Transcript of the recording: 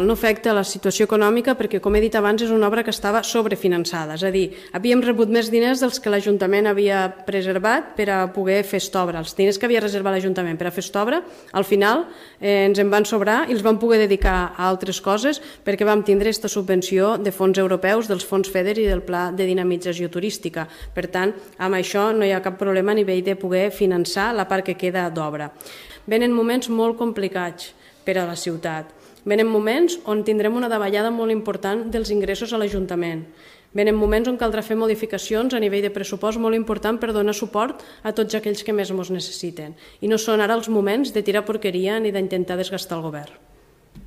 No afecta la situació econòmica perquè, com he dit abans, és una obra que estava sobrefinançada. És a dir, havíem rebut més diners dels que l'Ajuntament havia preservat per a poder fer aquesta obra. Els diners que havia reservat l'Ajuntament per a fer aquesta obra, al final ens en van sobrar i els vam poder dedicar a altres coses perquè vam tindre aquesta subvenció de fons europeus, dels fons FEDER i del Pla de Dinamització Turística. Per tant, amb això no hi ha cap problema a nivell de poder finançar la part que queda d'obra. Venen moments molt complicats per a la ciutat. Venen moments on tindrem una davallada molt important dels ingressos a l'Ajuntament. Venen moments on caldrà fer modificacions a nivell de pressupost molt important per donar suport a tots aquells que més ens necessiten. I no són ara els moments de tirar porqueria ni d'intentar desgastar el govern.